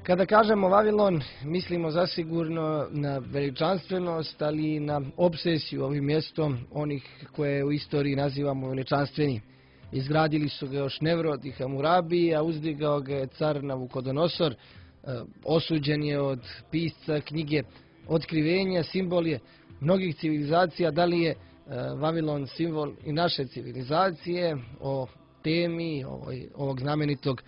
Kada kažemo Vavilon, mislimo zasigurno na veličanstvenost, ali i na obsesiju ovim mjestom onih koje u istoriji nazivamo veličanstvenim. Izgradili su ga još Nevrod i Hamurabi, a uzdigao ga je car Navukodonosor. Osuđen je od pisca knjige Otkrivenja, simbol je mnogih civilizacija. Da li je Vavilon simbol i naše civilizacije? O temi ovog znamenitog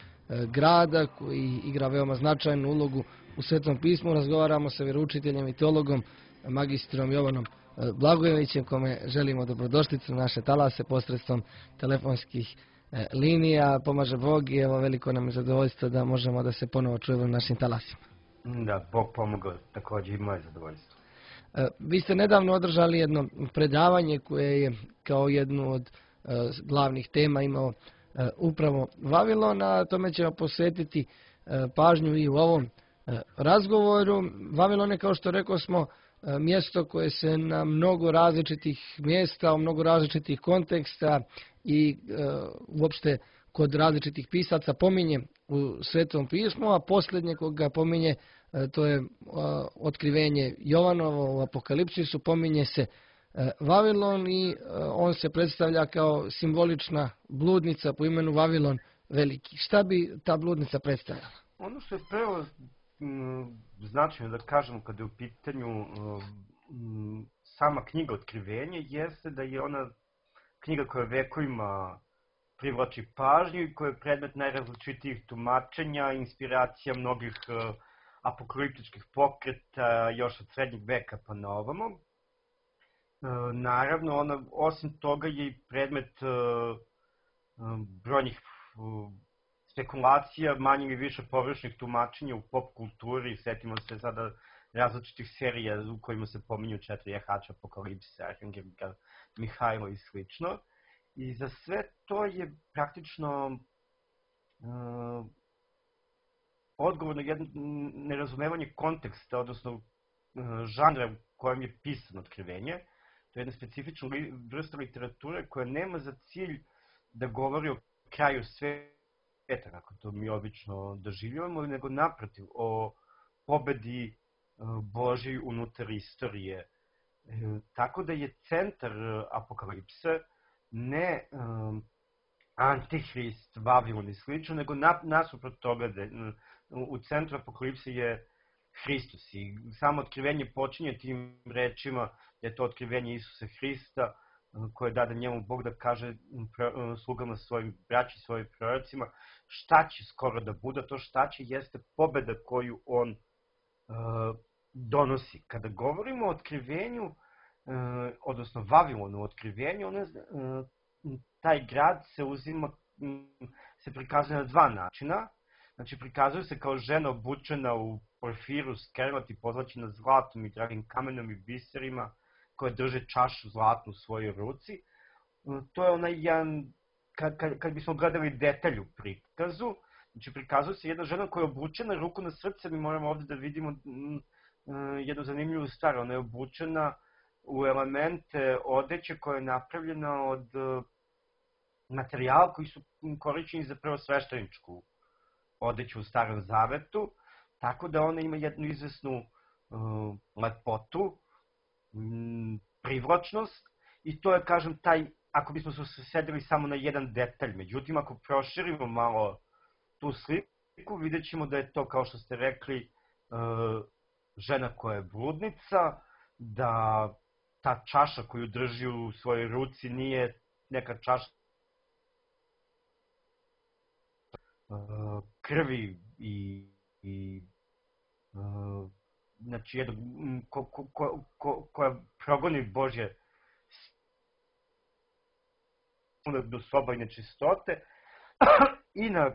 grada koji igra veoma značajnu ulogu u Svetom pismu razgovaramo sa vjeroučiteljem i teologom magistrom Jovanom Blagojevićem, kome želimo dobrodošlicu na naše talase posredstvom telefonskih linija. Pomaže Bog i evo veliko nam je zadovoljstvo da možemo da se ponovo čujemo na našim talasima. Da, Bog pomogao, također i moje zadovoljstvo. Vi ste nedavno održali jedno predavanje koje je kao jednu od glavnih tema imao upravo Vavilon, a tome ćemo posvetiti pažnju i u ovom razgovoru. Vavilon je, kao što rekao smo, mjesto koje se na mnogo različitih mjesta, u mnogo različitih konteksta i uopšte kod različitih pisaca pominje u Svetom pismu, a posljednje koga pominje to je otkrivenje Jovanovo u Apokalipsisu, pominje se Vavilon i on se predstavlja kao simbolična bludnica po imenu Vavilon Veliki. Šta bi ta bludnica predstavljala? Ono što je prvo značajno da kažemo kada je u pitanju sama knjiga Otkrivenje jeste da je ona knjiga koja vekovima privlači pažnju i koja je predmet najrazličitijih tumačenja, inspiracija mnogih apokaliptičkih pokreta još od srednjeg veka pa na ovamo. Naravno, ona osim toga je i predmet brojnih spekulacija, manje i više površnih tumačenja u pop kulturi. Sjetimo se sada različitih serija u kojima se pominju 4 jahača Apokalipse, Arhangelika, Mihajlo i slično. I za sve to je praktično odgovor na jedno nerazumevanje konteksta, odnosno žanra u kojem je pisano Otkrivenje. To je jedna specifična vrsta literature koja nema za cilj da govori o kraju sveta, kako to mi obično doživljavamo, nego naprotiv, o pobedi Božji unutar istorije. Tako da je centar Apokalipse ne Antihrist, Vavilon i slično, nego nasuprot toga da u centru Apokalipse je Hristos. I samo Otkrivenje počinje tim rečima da je to otkrivenje Isusa Hrista, koje dade njemu Bog da kaže slugama svojim, braći svojim prorocima, šta će skoro da bude. To šta će jeste pobeda koju on donosi. Kada govorimo o otkrivenju, odnosno Vavilonu otkrivenju, taj grad se prikazuje na dva načina. Znači, prikazuje se kao žena obučena u porfiru, skerlat i pozlaćena zlatom i dragim kamenom i biserima, koja drže čašu zlatnu u svojoj ruci. To je onaj jedan, kad bismo gledali detalj u prikazu, znači prikazuje se jedna žena koja je obučena, ruku na srce, mi moramo ovdje da vidimo jednu zanimljivu stvar. Ona je obučena u elemente odeće koja je napravljena od materijala koji su korišćeni za prvosvešteničku odeću u Starom Zavetu, tako da ona ima jednu izvesnu lepotu, privlačnost, i to je, kažem, taj, ako bismo se usredsredili samo na jedan detalj. Međutim, ako proširimo malo tu sliku, vidjet ćemo da je to, kao što ste rekli, žena koja je bludnica, da ta čaša koju drži u svojoj ruci nije neka čaša krvi i znači jedno koja progoni Božje do soba i nečistote, i na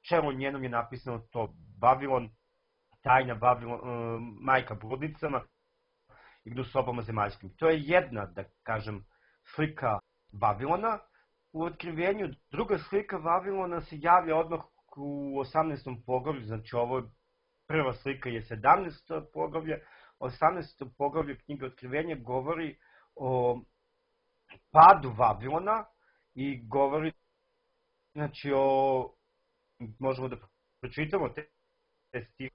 čelu njenom je napisano to Vavilon, tajna Vavilon, majka bludnicama i do sobama zemaljskim. To je jedna, da kažem, slika Vavilona u Otkrivenju. Druga slika Vavilona se javlja odmah u 18. poglavlju, znači ovo prva slika je 17. poglavlje. 18. poglavlje knjige Otkrivenja govori o padu Vavilona i govori, znači, možemo da pročitamo stih.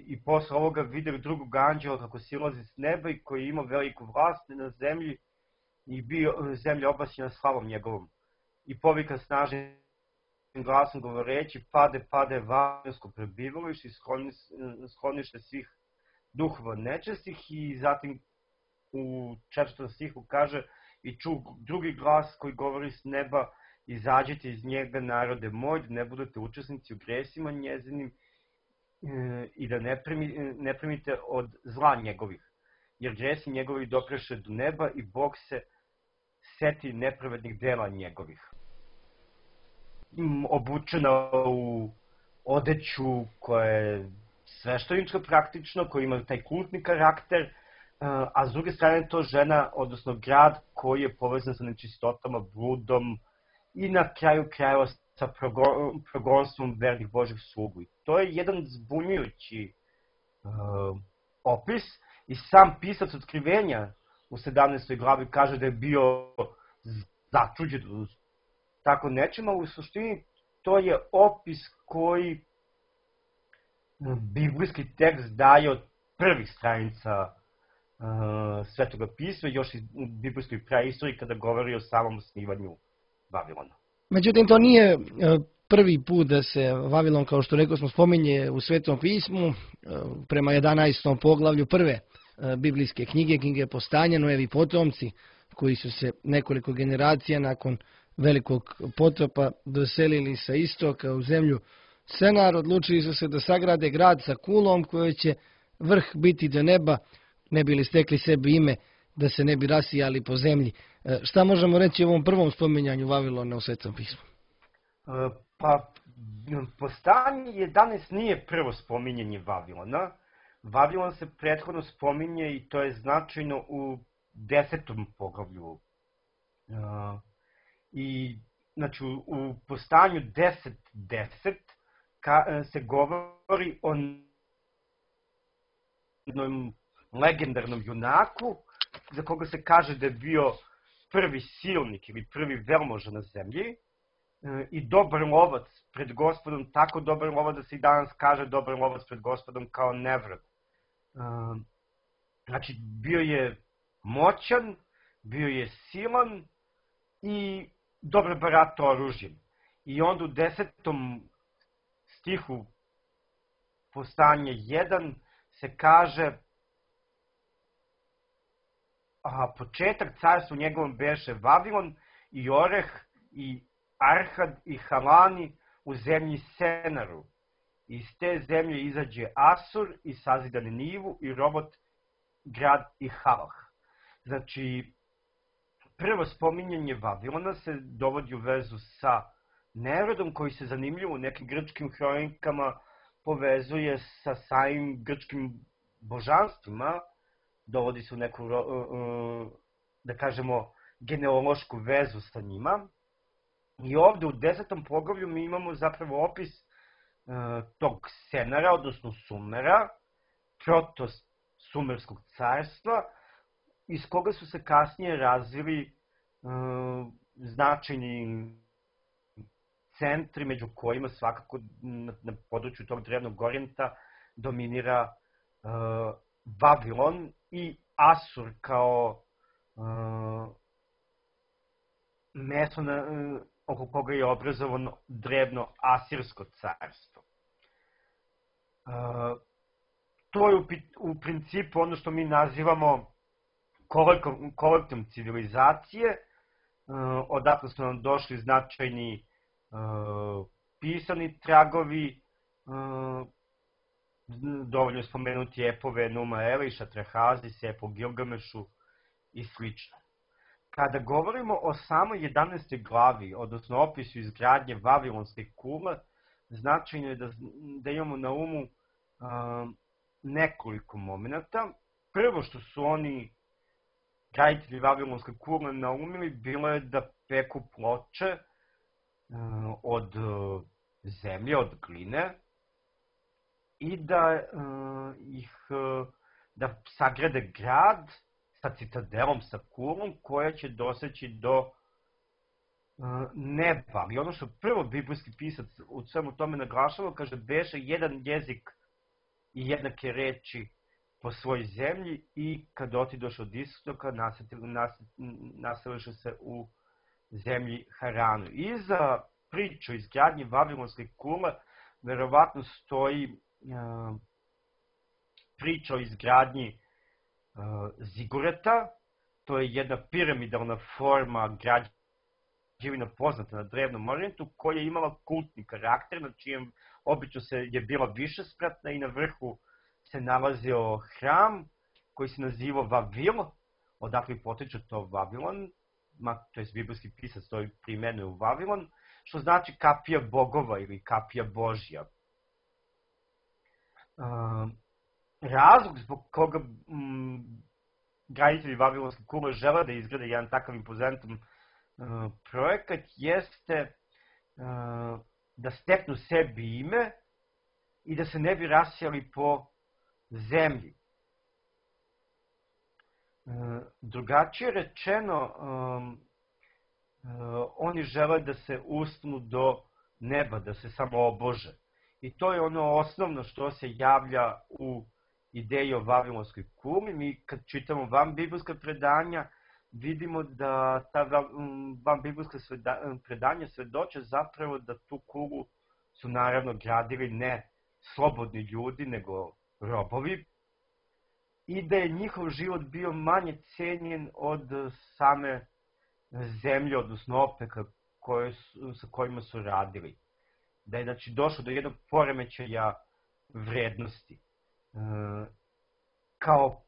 I posle ovoga videli drugog anđela kako silazi s neba i koji ima veliku vlast na zemlji i bio zemlja obasjena slavom njegovom. I povika snažnim glasom govoreći: pade, pade vavilonsko prebivalište i sklonište svih duhova nečestih. I zatim u 4. stihu kaže: i ču drugi glas koji govori s neba: izađite iz njega, narode moj, da ne budete učesnici u gresima njezinim i da ne primite od zla njegovih, jer gresi njegovi dopreše do neba i Bog se seti nepravednih dela njegovih. Obučena u odeću koja je sveštenička praktično, koja ima taj kultni karakter, a s druge strane to žena, odnosno grad koji je povezan sa nečistotama, bludom i na kraju krajeva sa progonstvom vernih Božih slugu. I to je jedan zbunjujući opis i sam pisac Otkrivenja u 17. glavi kaže da je bio začuđen tako nečim, a u suštini to je opis koji biblijski tekst daje od prvih stranica Svetoga pisma, još iz biblijskoj praistoriji kada govori o samom osnivanju Vavilona. Međutim, to nije prvi put da se Vavilon, kao što rekao smo, spominje u Svetom pismu, prema 11. poglavlju prve biblijske knjige Postanja, Noevi potomci, koji su se nekoliko generacija nakon velikog potopa doselili sa istoka u zemlju Senar, odlučili su se da sagrade grad sa kulom koji će vrh biti do neba, ne bi li stekli sebi ime, da se ne bi rasijali po zemlji. Šta možemo reći o ovom prvom spominjanju Vavilona u Svetom pismu? Pa, Postanje 11 nije prvo spominjanje Vavilona. Vavilon se prethodno spominje i to je značajno u 10. poglavlju. I, znači, u Postanju 10.10 se govori o jednom legendarnom junaku za koga se kaže da je bio prvi silnik ili prvi velmoža na zemlji i dobar lovac pred Gospodom, tako dobar lovac da se i danas kaže dobar lovac pred Gospodom kao Nevrod. Znači, bio je moćan, bio je silan i dobro baratao oružjem. I onda u 10. stihu Postanje 1 se kaže: početak carstva u njegovom beše Vavilon i Oreh i Arhad i Halani u zemlji Senaru. Iz te zemlje izađe Asur i sazida Ninivu i Robot grad i Halah. Znači, prvo spominjanje Vavilona se dovodi u vezu sa Nerodom, koji se zanimljivo u nekim grčkim hronikama povezuje sa samim grčkim božanstvima, dovodi se u neku, da kažemo, genealošku vezu sa njima. I ovde u 10. poglavlju mi imamo zapravo opis tog Senara, odnosno Sumera, proto-sumerskog carstva, iz koga su se kasnije razvili značajni centri, među kojima svakako na području tog drevnog Orijenta dominira Vavilon i Asur kao mesto oko koga je obrazovano drevno Asirsko carstvo. To je u principu ono što mi nazivamo kolektom civilizacije, odatle su nam došli značajni pisani tragovi, dovoljno spomenuti epove Numa Eliša, Trahazi, Sepo Gilgamešu i sl. Kada govorimo o samoj 11. glavi, odnosno opisu izgradnje Vavilonske kule, značajno je da imamo na umu nekoliko momenta. Prvo što su oni, graditelji Vavilonske kule, naumili bilo je da peku ploče od zemlje, od gline, i da sagrade grad sa citadelom, sa kulom, koja će doseći do neba. I ono što prvo biblijski pisac u svemu tome naglašava, kaže, beše jedan jezik i jednake reči po svoj zemlji i kad otidoš od istoka naseliše se u zemlji Haranu. Iza priču izgradnje Vavilonske kule verovatno stoji priča o izgradnji zigureta. To je jedna piramidalna forma građevina poznata na Drevnom Orijentu koja je imala kultni karakter, na čijem obično je bila višespratna i na vrhu se nalazio hram koji se nazivao Vavil, odakle potiče to Vavilon, to je biblijski pisac to primenuje u Vavilon, što znači kapija bogova ili kapija Božja. Razlog zbog koga graditelji Vavilonske kule žele da izgrade jedan takav impozantan projekat jeste da steknu sebi ime i da se ne bi rasijali po zemlji. Drugačije rečeno, oni žele da se uspnu do neba, da se samo obože. I to je ono osnovno što se javlja u ideji o Vavilonskoj kuli. Mi kad čitamo vanbiblijska predanja, vidimo da ta vanbiblijska predanja svedoče zapravo da tu kulu su naravno gradili ne slobodni ljudi, nego robovi, i da je njihov život bio manje cenjen od same zemlje, odnosno opeka sa kojima su radili. Da je znači došlo do jednog poremećaja vrednosti. Kao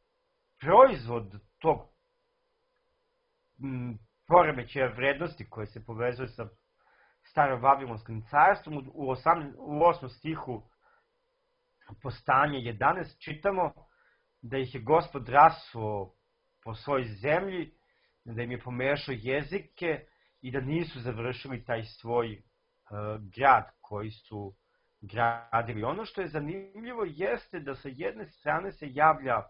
proizvod tog poremećaja vrednosti koje se povezuje sa starom Vavilonskim carstvom, u 8. stihu Postanje 11 čitamo da ih je Gospod rasuo po svojoj zemlji, da im je pomešao jezike i da nisu završili taj svoj grad koji su gradili. Ono što je zanimljivo jeste da sa jedne strane se javlja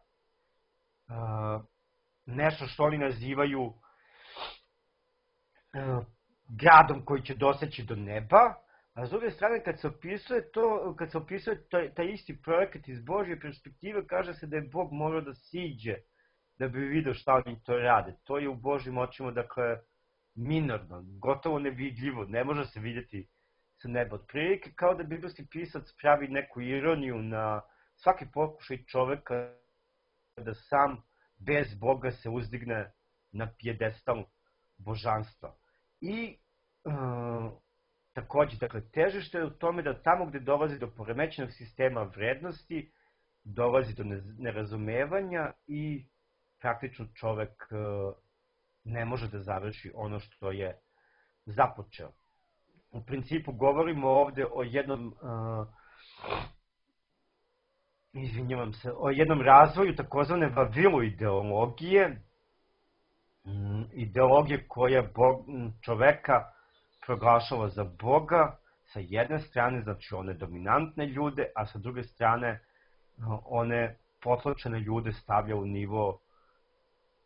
nešto što oni nazivaju gradom koji će doseći do neba, a s druge strane kad se opisuje taj isti projekat iz Božje perspektive, kaže se da je Bog morao da siđe da bi vidio šta oni to rade. To je u Božjim očima, dakle, minorno, gotovo nevidljivo, ne može se vidjeti sa neba. Otprilike kao da biblijski pisac pravi neku ironiju na svaki pokušaj čoveka da sam bez Boga se uzdigne na pijedestal božanstva. I takođe, dakle, težište je u tome da tamo gde dolazi do poremećenog sistema vrednosti, dolazi do nerazumevanja i praktično čovek ne može da završi ono što je započeo. U principu govorimo ovde o jednom razvoju takozvane Vavilu ideologije, ideologije koja čoveka proglašava za Boga, sa jedne strane, znači one dominantne ljude, a sa druge strane one potlačene ljude stavlja u nivo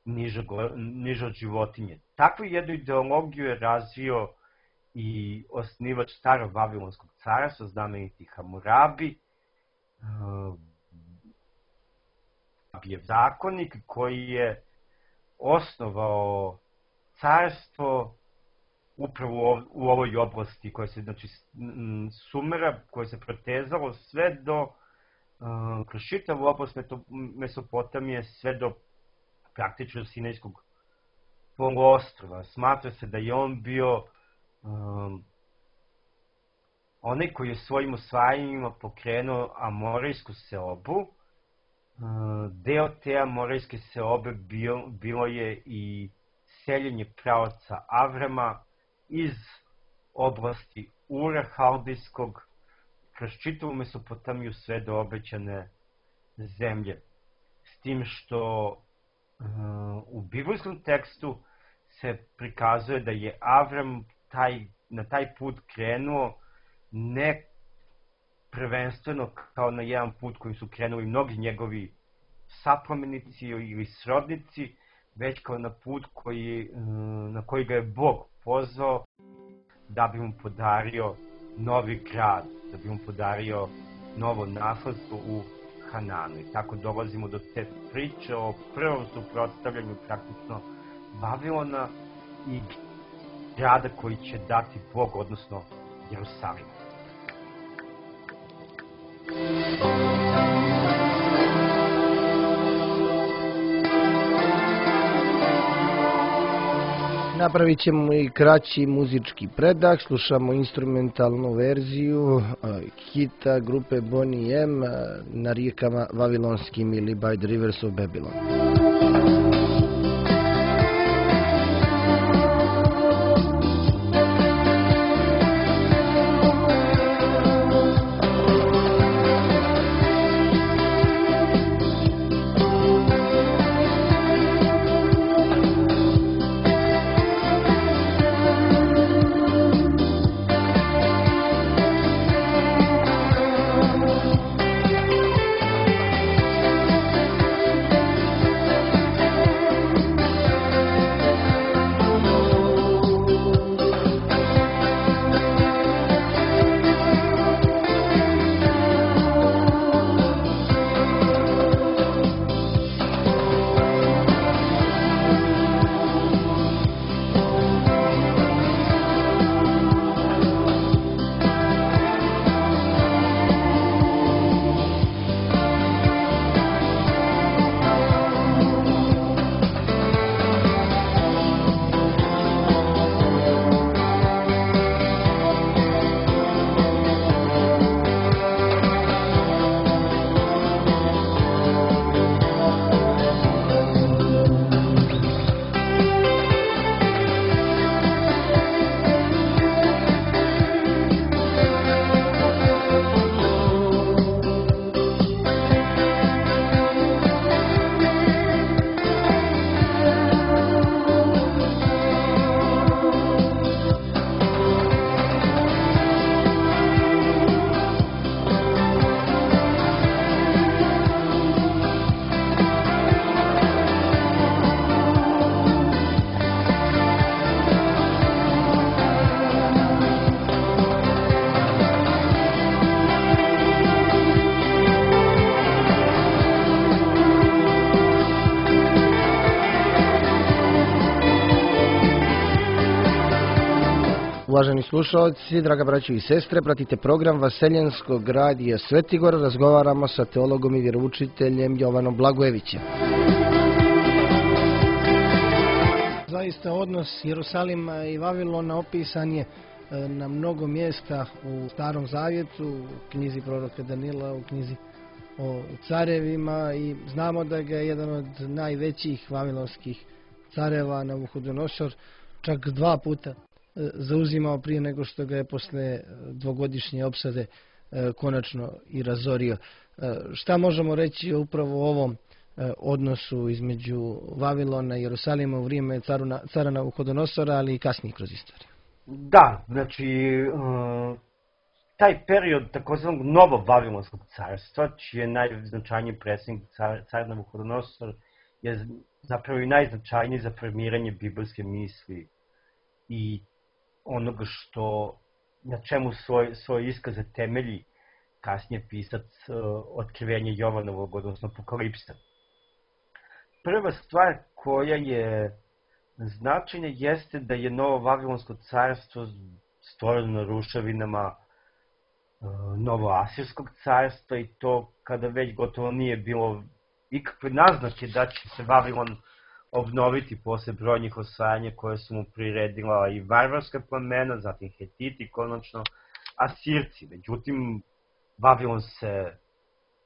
niže od životinje. Takvu jednu ideologiju je razvio i osnivač starog Vavilonskog carstva, znameniti Hamurabi, je zakonik koji je osnovao carstvo upravo u ovoj oblasti koja se, znači, Sumera, koja se protezalo sve do, kroz čitavu oblast Mesopotamije, sve do praktično Sinajskog poluostrva. Smatra se da je on bio onaj koji je svojim osvajanjima pokrenuo Amorejsku seobu. Deo te Amorejske seobe bilo je i seljenje praoca Avrama iz oblasti Ura Haldijskog kroz čitavu Mesopotamiju sve do obećane zemlje. S tim što u biblijskom tekstu se prikazuje da je Avram na taj put krenuo ne prvenstveno kao na jedan put kojim su krenuli mnogi njegovi saplomenici ili srodnici, već kao na put na koji ga je Bog pozvao da bi mu podario novi grad, da bi mu podario novo nasledstvo u Hananu. I tako dolazimo do te priče o prvom suprotstavljanju praktično Vavilona i grada koji će dati Bog, odnosno Jerusalim. Napravit ćemo i kraći muzički predah, slušamo instrumentalnu verziju hita grupe Boney M na rijekama Vavilonskim ili By the Rivers of Babylon. Uvaženi slušalci, draga braćo i sestre, pratite program Vaseljenskog radija Svetigor. Razgovaramo sa teologom i vjeroučiteljem Jovanom Blagojevićem. Zaista odnos Jerusalima i Vavilona opisan je na mnogo mjesta u Starom Zavjetu, u knjizi proroka Danila, u knjizi o carevima, i znamo da ga je jedan od najvećih vavilonskih careva Navuhodonosor čak 2 puta zauzimao prije nego što ga je posle 2-godišnje opsade konačno i razorio. Šta možemo reći o upravo ovom odnosu između Vavilona i Jerusalima u vrijeme cara Navuhodonosora, ali i kasnije kroz istoriju? Da, znači, taj period takozvanog novo-vavilonskog carstva, čiji je najznačajniji predsjednik car Navuhodonosor, je zapravo i najznačajniji za formiranje biblijske misli i onoga na čemu svoj iskaze temelji kasnije pisac Otkrivenja Jovanovog, odnosno Apokalipsa. Prva stvar koja je značajna jeste da je novo Vavilonsko carstvo stvoreno na ruševinama novoasirskog carstva, i to kada već gotovo nije bilo ikakve naznake da će se Vavilon obnoviti posle brojnih osvajanja koje su mu priredila i varvarska plemena, zatim Hetiti i konačno Asirci. Međutim, Vavilon se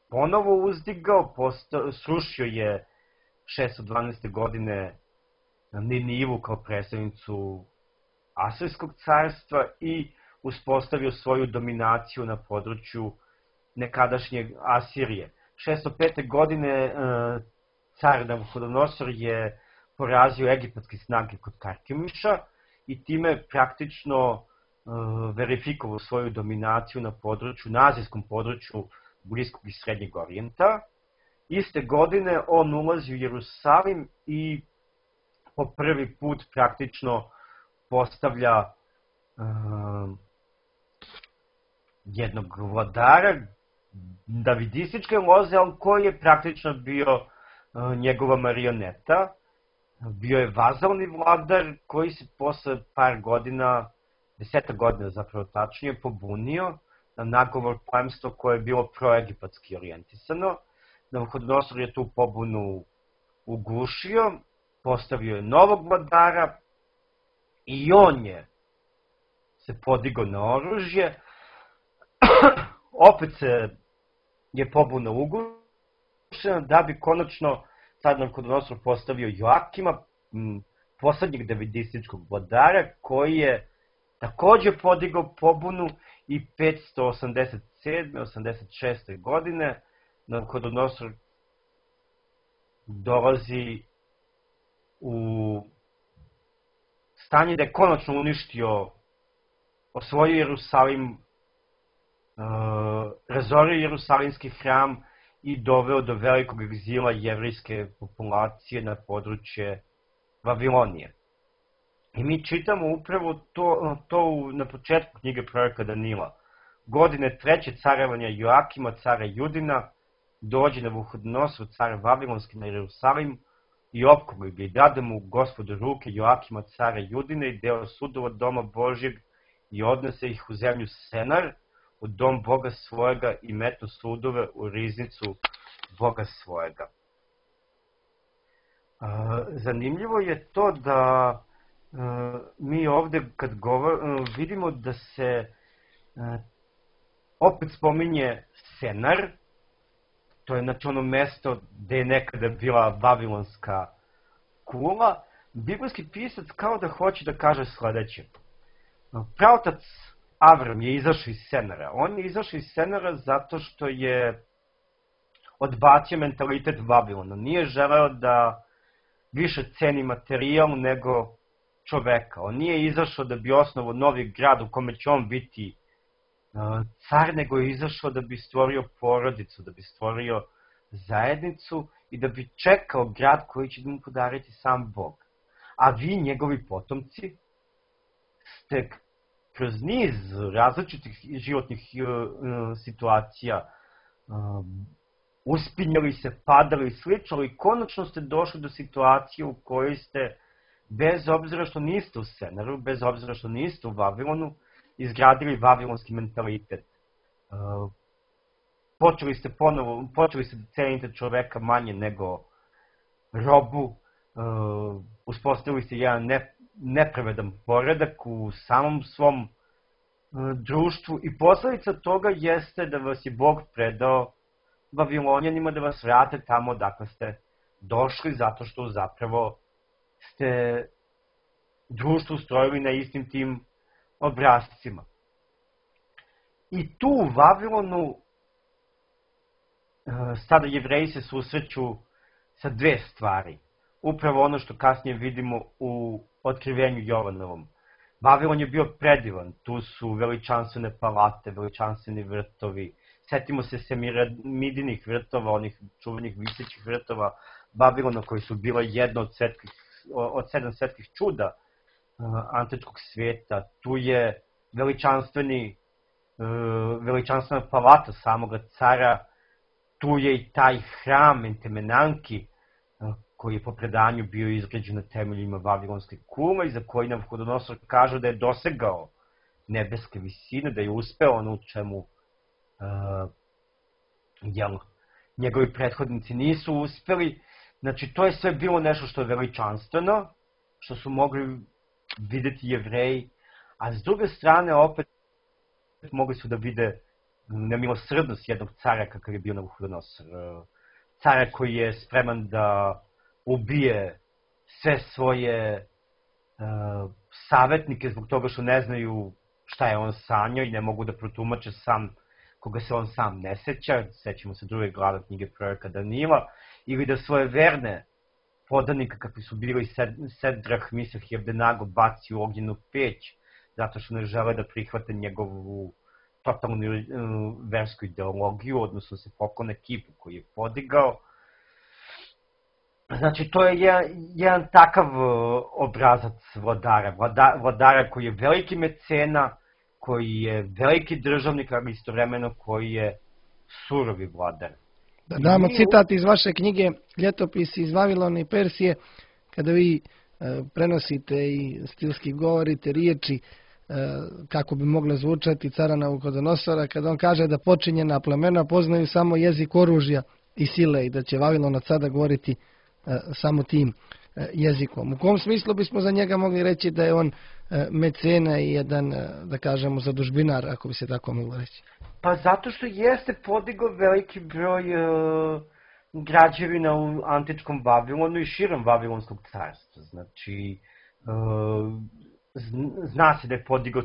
ponovo uzdigao, srušio je 612. godine Ninivu kao predstavnicu Asirskog carstva i uspostavio svoju dominaciju na području nekadašnjeg Asirije. 605. godine car Navuhodonosor je porazio egipatske snage kod Karkemiša i time praktično verifikovao svoju dominaciju na azijskom području Bliskog i Srednjeg Orijenta. Iste godine on ulazi u Jerusalim i po prvi put praktično postavlja jednog vladara davidističke loze, ali koji je praktično bio njegova marioneta. Bio je vazalni vladar koji se posle par godina, 10 godina zapravo tačnije, pobunio na nagovor plemstva koje je bilo proegipatski orijentisano. Navuhodonosor je tu pobunu ugušio, postavio je novog vladara i on se podigao na oružje. Opet se je pobuna ugušena da bi konačno car Navuhodonosor postavio Joakima, poslednjeg davidističkog vladara, koji je takođe podigao pobunu i 587. 86. godine Navuhodonosor dolazi u stanje da je konačno uništio, osvojio Jerusalim, razorio Jerusalimski hram i doveo do velikog egzila jevrejske populacije na područje Vavilonije. I mi čitamo upravo to na početku knjige proroka Danila. Godine 3. carevanja Joakima, cara Judina, dođe Navuhodonosor, car Vavilonski, na Jerusalim i opkoli ga i dade mu Gospod u ruke Joakima, cara Judina, i deo sudova doma Božjeg i odnese ih u zemlju Senar, u dom Boga svojega, i metnu sudove u riznicu Boga svojega. Zanimljivo je to da mi ovde kad vidimo da se opet spominje Senar. To je znači ono mesto gde je nekada bila Vavilonska kula. Biblijski pisac kao da hoće da kaže sledeće. Praotac Avram je izašao iz Senara. On je izašao iz Senara zato što je odbacio mentalitet Vavilona. Nije želeo da više ceni materijal nego čoveka. On nije izašao da bi osnovao novi grad u kome će on biti car, nego je izašao da bi stvorio porodicu, da bi stvorio zajednicu i da bi čekao grad koji će da mu podariti sam Bog. A vi, njegovi potomci, ste kroz niz različitih životnih situacija uspinjali se, padali i slično, i konačno ste došli do situacije u kojoj ste, bez obzira što niste u Senaru, bez obzira što niste u izgradili vavilonski mentalitet. Počeli ste da cenite čoveka manje nego robu, uspostavili ste jedan nepravedan poredak u samom svom društvu i posledica toga jeste da vas je Bog predao Vavilonjanima da vas vrate tamo odakle ste došli, zato što zapravo ste društvo ustrojili na istim tim obrazcima. I tu u Vavilonu sada Jevreji se susreću sa dve stvari. Upravo ono što kasnije vidimo u otkrivenju Jovanovom. Vavilon je bio predivan, tu su veličanstvene palate, veličanstveni vrtovi. Setimo se Semiramidinih vrtova, onih čuvenih visećih vrtova Vavilona koji su bila jedna od 7 svetskih čuda antičkog svijeta. Tu je veličanstvena palata samoga cara, tu je i taj hram Entemenanki koji je po predanju bio izgrađen na temeljima Vavilonske kule i za koji Navuhodonosor kaže da je dosegao nebeske visine, da je uspeo ono u čemu njegovi prethodnici nisu uspeli. Znači, to je sve bilo nešto što je veličanstveno, što su mogli videti Jevreji, a s druge strane opet mogli su da vide nemilosrdnost jednog cara kakav je bio Navuhodonosor. Cara koji je spreman da ubije sve svoje savjetnike zbog toga što ne znaju šta je on sanjao i ne mogu da protumače sam koga se on sam ne seća, sećamo se druge glave knjige proroka Danila, ili da svoje verne podanike kakvi su bili Sedrah, Misah i Abdenago baci u ognjenu peć, zato što ne žele da prihvate njegovu totalnu versku ideologiju, odnosno se poklone kipu koji je podigao. Znači, to je jedan takav obrazac vladara. Vladara koji je veliki mecena, koji je veliki državnik, ali istovremeno koji je surovi vladar. Da damo citat iz vaše knjige Ljetopisi iz Vavilona i Persije, kada vi prenosite i stilski govorite riječi kako bi mogle zvučati cara Navuhodonosora, kada on kaže da počinjena plemena poznaju samo jezik oružja i sile i da će Vavilon od sada govoriti samo tim jezikom. U kom smislu bismo za njega mogli reći da je on mecena i jedan, da kažemo, zadužbinar, ako bi se tako moglo reći? Pa zato što jeste podigao veliki broj građevina u antičkom Vavilonu i širom Vavilonskog carstva. Znači, zna se da je podigao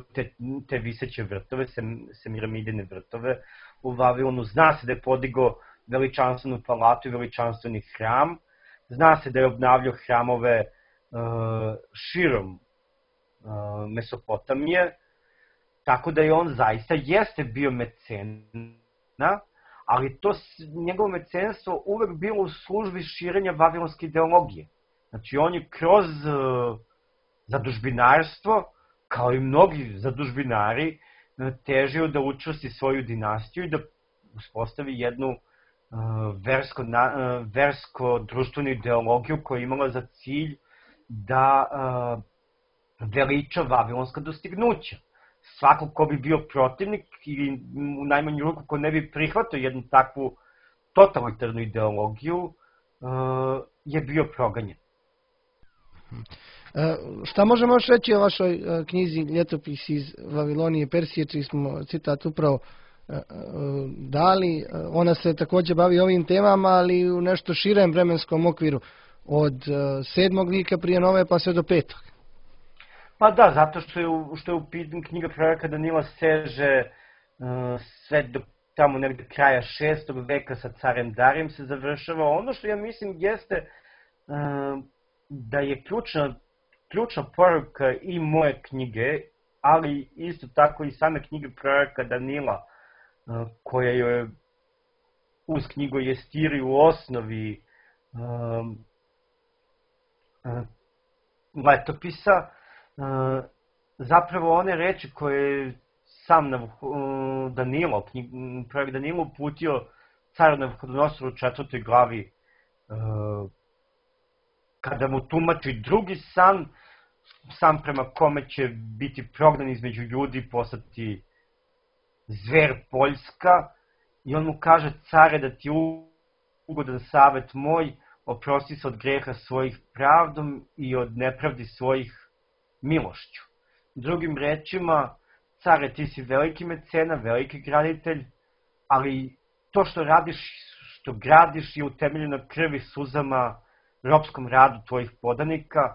te viseće vrtove, semiramidine vrtove u Vavilonu, zna se da je podigao veličanstvenu palatu i veličanstveni hram, zna se da je obnavljao hramove širom Mesopotamije, tako da je on zaista jeste bio mecena, ali to njegovo mecenstvo uvek bilo u službi širenja vavilonske ideologije. Znači on je kroz zadužbinarstvo, kao i mnogi zadužbinari, težio da učvrsti svoju dinastiju i da uspostavi jednu versko-društvenu ideologiju koja je imala za cilj da veliča vavilonska dostignuća. Svako ko bi bio protivnik ili u najmanju ruku ko ne bi prihvatio jednu takvu totalitarnu ideologiju je bio proganjen. Šta možemo još reći o vašoj knjizi Ljetopisi iz Vavilonije i Persije, čiji smo citat upravo dali? Ona se također bavi ovim temama, ali u nešto širem vremenskom okviru, od 7. vijeka prije nove pa sve do 5. Pa da, zato što je u pitanju knjiga proroka Danila seže sve do tamo negde kraja 6. veka sa carem Darijem se završava. Ono što ja mislim jeste da je ključna poruka i moje knjige, ali isto tako i same knjige proroka Danila, koja je uz knjigu Jestiri u osnovi letopisa, zapravo one reči koje sam Danilo, prorok Danilo uputio caru Navuhodonosoru u 4. glavi, kada mu tumači drugi san prema kome će biti prognan između ljudi i postati zver Poljska, i on mu kaže: care, da ti ugodan savet moj, oprosti se od greha svojih pravdom i od nepravdi svojih milošću. Drugim rečima, care, ti si veliki mecena, veliki graditelj, ali to što radiš, što gradiš je utemeljeno na krvi, suzama, ropskom radu tvojih podanika,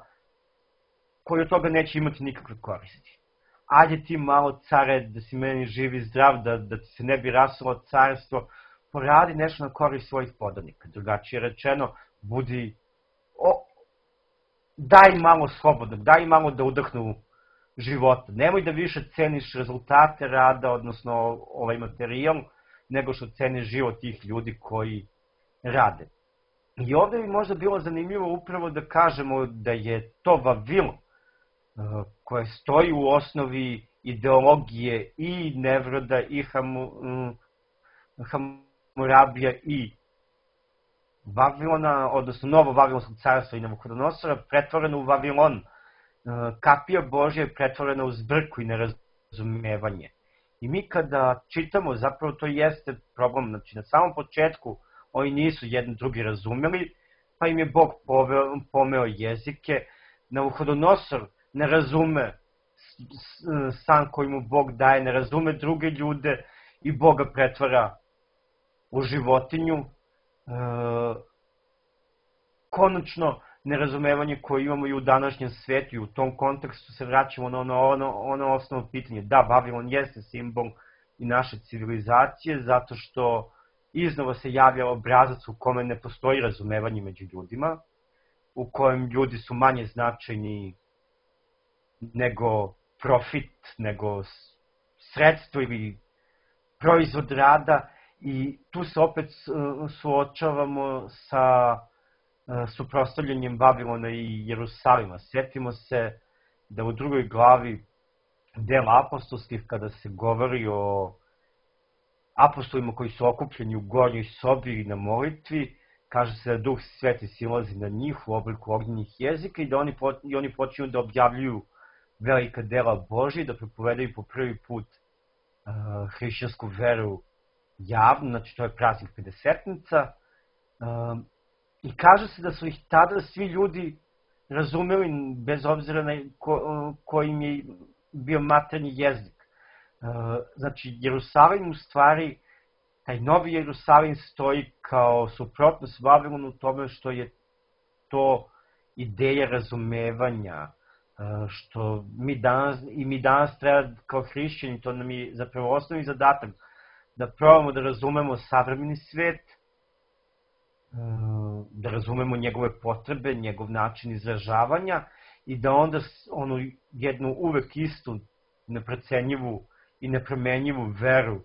koji od toga neće imati nikakve koristi. Ajde ti malo, care, da si meni živ i zdrav, da ti se ne bi rasulo carstvo, poradi nešto na korist svojih podanika. Drugačije rečeno, daj malo slobodno, daj malo da udahnu života. Nemoj da više ceniš rezultate rada, odnosno ovaj materijal, nego što ceniš život tih ljudi koji rade. I ovde bi možda bilo zanimljivo upravo da kažemo da je to Vavilon, koje stoji u osnovi ideologije i Nevroda, i Hamurabija, i Vavilona, odnosno novo Vavilonskog carstva i Navuhodonosora, pretvoreno u Vavilon. Kapija Božja je pretvorena u zbrku i nerazumevanje. I mi kada čitamo, zapravo to jeste problem. Znači, na samom početku oni nisu jedni drugi razumeli, pa im je Bog pomeo jezike. Navuhodonosor ne razume san koji mu Bog daje, ne razume druge ljude i Boga pretvara u životinju. Konačno, nerazumevanje koje imamo i u današnjem svetu, i u tom kontekstu se vraćamo na ono osnovno pitanje. Da, Vavilon jeste simbol i naše civilizacije, zato što iznova se javlja obrazac u kome ne postoji razumevanje među ljudima, u kojem ljudi su manje značajni nego profit, nego sredstvo ili proizvod rada, i tu se opet suočavamo sa suprotstavljanjem Vavilona i Jerusalima. Sjetimo se da u 2. glavi dela apostolskih, kada se govori o apostolima koji su okupljeni u gornjoj sobi na molitvi, kaže se da Duh Sveti silazi na njih u obliku ognjenih jezika i da oni počinju da objavljuju velika dela Božje, da propovedaju po prvi put hrišćansku veru javno, znači to je praznik Pedesetnica. I kaže se da su ih tada svi ljudi razumeli, bez obzira na kojim je bio maternji jezik. Znači, Jerusalim u stvari, taj novi Jerusalim stoji kao suprotnost Vavilonu u tome što je to ideja razumevanja, što mi danas treba kao hrišćani, to nam je zapravo osnovni zadatak, da probamo da razumemo savremeni svet, da razumemo njegove potrebe, njegov način izražavanja i da onda onu jednu uvek istu, neprocenjivu i nepromenjivu veru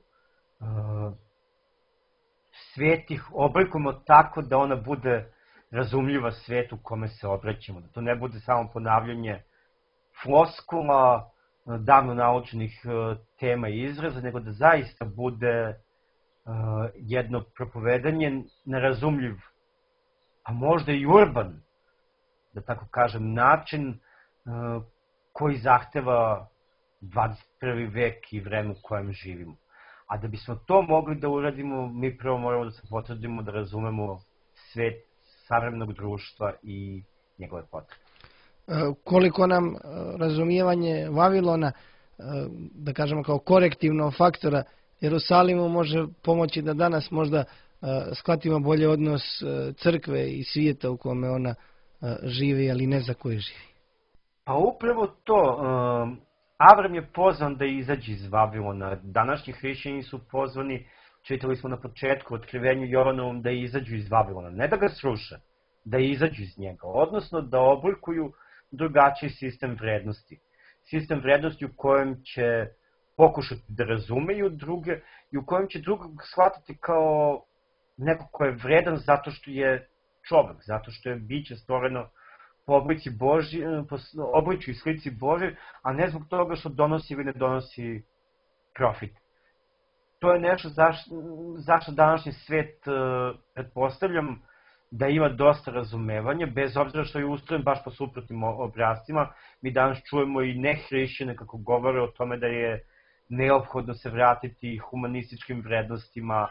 svetih oblikujemo tako da ona bude razumljiva svetu kome se obraćamo. Da to ne bude samo ponavljanje floskula, davno naučenih tema i izraza, nego da zaista bude jedno propovedanje nerazumljiv, a možda i urban, da tako kažem, način koji zahteva 21. vek i vreme u kojem živimo. A da bismo to mogli da uradimo, mi prvo moramo da se potrudimo da razumemo svet savremenog društva i njegove potrebe. Koliko nam razumijevanje Vavilona, da kažemo kao korektivnog faktora Jerusalimu, može pomoći da danas možda shvatimo bolje odnos crkve i svijeta u kome ona živi, ali ne za koje živi? Pa upravo to. Avram je pozvan da izađe iz Vavilona. Današnji hrišćani su pozvani, čitali smo na početku, otkrivenju Jovanovom, da izađu iz Vavilona. Ne da ga sruše, da izađu iz njega. Odnosno da oblikuju drugačiji sistem vrednosti. Sistem vrednosti u kojem će pokušati da razumeju druge i u kojem će drugog shvatiti kao neko ko je vredan zato što je čovek, zato što je biće stvoreno po obličju i slici Božoj, a ne zbog toga što donosi ili ne donosi profit. To je nešto zašto današnji svet, pretpostavljam, da ima dosta razumevanja, bez obzira što je ustrojen baš po suprotnim obrascima. Mi danas čujemo i nehrišćane kako govore o tome da je neophodno se vratiti humanističkim vrednostima,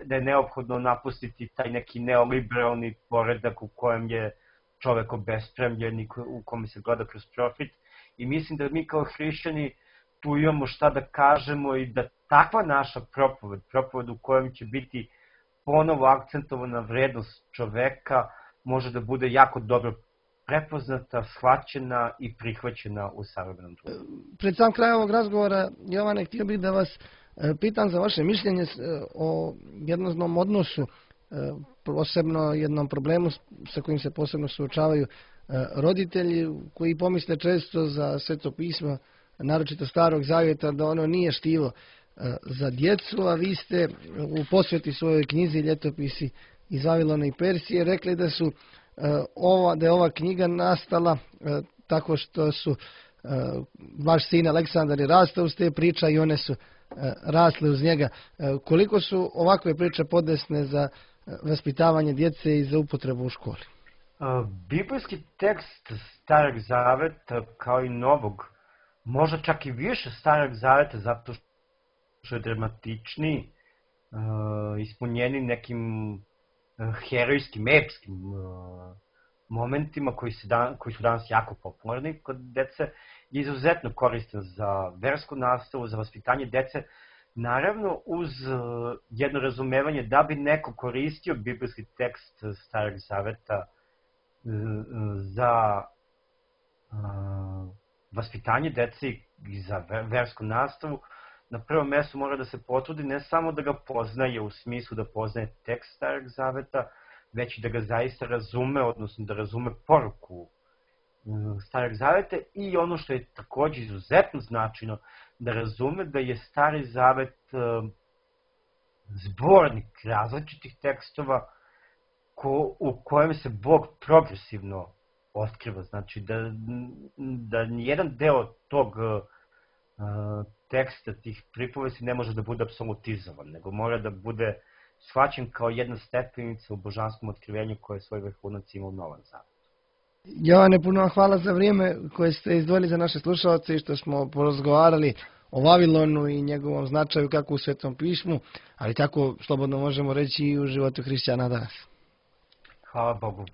da je neophodno napustiti taj neki neoliberalni poredak u kojem je čovek obespremljen i u kome se gleda kroz profit. I mislim da mi kao hrišćani tu imamo šta da kažemo i da takva naša propoved u kojem će biti ponovo akcentovana vrednost čoveka, može da bude jako dobro prepoznata, shvaćena i prihvaćena u savremenom društvu. Pred sam kraj ovog razgovora, Jovane, htio bih da vas pitam za vaše mišljenje o jednom odnosu, posebno jednom problemu sa kojim se posebno suočavaju roditelji, koji pomisle često za Sveto pismo, naročito Starog Zavjeta, da ono nije štivo za djecu, a vi ste u posveti svojoj knjizi Ljetopisi iz Vavilona i Persije rekli da je ova knjiga nastala tako što su vaš sin Aleksandar je rastao uz te priče i one su rasle uz njega. Koliko su ovakve priče podesne za vaspitavanje djece i za upotrebu u školi? Biblijski tekst Starog Zaveta, kao i Novog, možda čak i više Starog Zaveta, zato što je dramatičniji, ispunjeni nekim herojskim, epskim momentima koji su danas jako popularni kod dece, je izuzetno koristan za versku nastavu, za vaspitanje dece, naravno uz jedno razumevanje da bi neko koristio biblijski tekst Starog Zaveta za vaspitanje dece i za versku nastavu. Na prvom mjestu mora da se potrudi ne samo da ga poznaje u smislu da poznaje tekst Starog Zaveta, već i da ga zaista razume, odnosno da razume poruku Starog Zaveta i ono što je također izuzetno značajno, da razume da je Stari Zavet zbornik različitih tekstova u kojem se Bog progresivno otkriva. Znači da nijedan deo tog teksta tih pripovesti ne može da bude apsolutizovan, nego mora da bude shvaćen kao jedna stepenica u božanskom otkrivenju koje je svoj vrhunac imao u Novom Zavetu. Jovane, puno vam hvala za vrijeme koje ste izdvojili za naše slušalce i što smo porazgovarali o Vavilonu i njegovom značaju kako u Svetom pismu, ali tako slobodno možemo reći i u životu hrišćana danas. Hvala Bogu.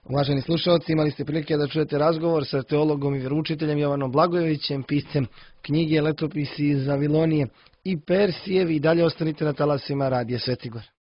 Uvaženi slušalci, imali ste prilike da čujete razgovor sa teologom i vjeroučiteljem Jovanom Blagojevićem, piscem knjige Letopisi iz Vavilonije i Persije. I dalje ostanite na talasima Radija Svetigor.